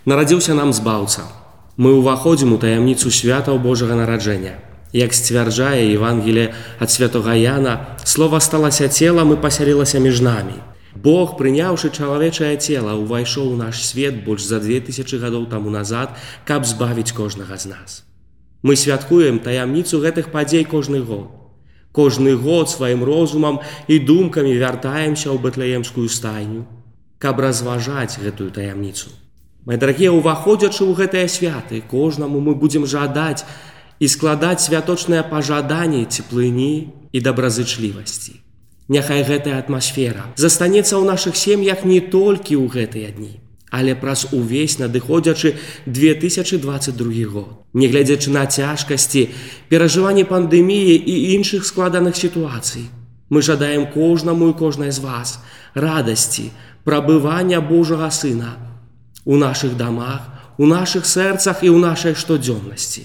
Нарадзіўся нам збаўца. Мы ўваходзім у таямніцу святаў Божага нараджэння. Як сцвярджае Евангелие ад святога Яна, Слова сталася целам і пасялілася між намі. Бог, прыняўшы чалавечае цела, увайшоў у наш свет больш за 2000 гадоў таму назад, каб збавіць кожнага з нас. Мы святкуем таямніцу гэтых падзей кожны год. Кожны год сваім розумам і думкамі вяртаемся ў Бэтлеемскую стайню, каб разважаць гэтую таямніцу. Мае дарагія, уваходзячы ў гэтыя святы, кожнаму мы будзем жадаць і складаць святочныя пажаданні цеплыні і добразычлівасці. Няхай гэтая атмасфера застанецца ў нашых сем'ях не толькі ў гэтыя дні, але праз увесь надыходзячы 2022 год. Нягледзячы на цяжкасці, перажыванні пандэміі і іншых складаных сітуацый, мы жадаем кожнаму і кожнай з вас радасці, прабывання Божага Сына у нашых дамах, у нашых сэрцах і ў нашай штодзённасці.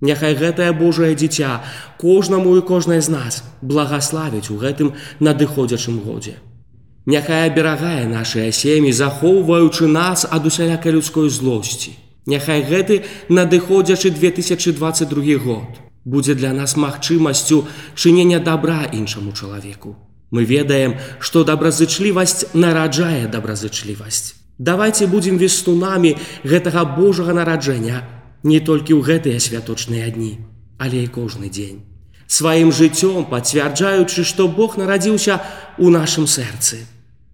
Няхай гэтае Божае дзіця кожнаму і кожнай з нас благаславіць у гэтым надыходзячым годзе. Няхай аберагае нашыя сем'і, захоўваючы нас ад усялякай людской злосці. Няхай гэты надыходзячы 2022 год будзе для нас магчымасцю чынення добра іншаму чалавеку. Мы ведаем, што добразычлівасць нараджае добразычлівасць. Давайце будзем вестунамі гэтага Божага нараджэння не толькі ў гэтыя святочныя дні, але і кожны дзень. Сваім жыццём пацвярджаючы, што Бог нарадзіўся ў нашым сэрцы.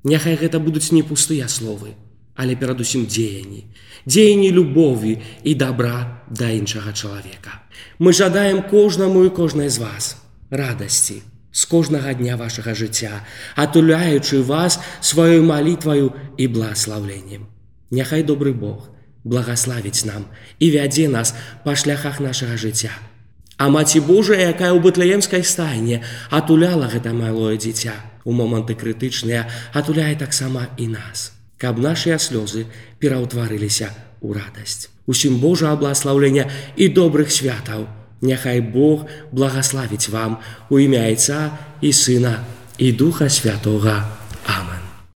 Няхай гэта будуць не пустыя словы, але перадусім дзеянні. Дзеянні любові і добра да іншага чалавека. Мы жадаем кожнаму і кожнай з вас радасці з кожнага дня вашага жыцця, атуляючы вас сваёй малітваю і благаслаўленнем. Няхай добры Бог благаславіць нам і вядзе нас па шляхах нашага жыцця. А Маці Божая, якая ў Бэтлеемскай стайне атуляла гэта малое дзіця у моманты крытычныя, атуляе таксама і нас, каб нашыя слёзы пераўтварыліся ў радасць. Усім Божага благаслаўлення і добрых святаў. Няхай Бог благаславіць вам у імя Айца і Сына і Духа Святога. Амен.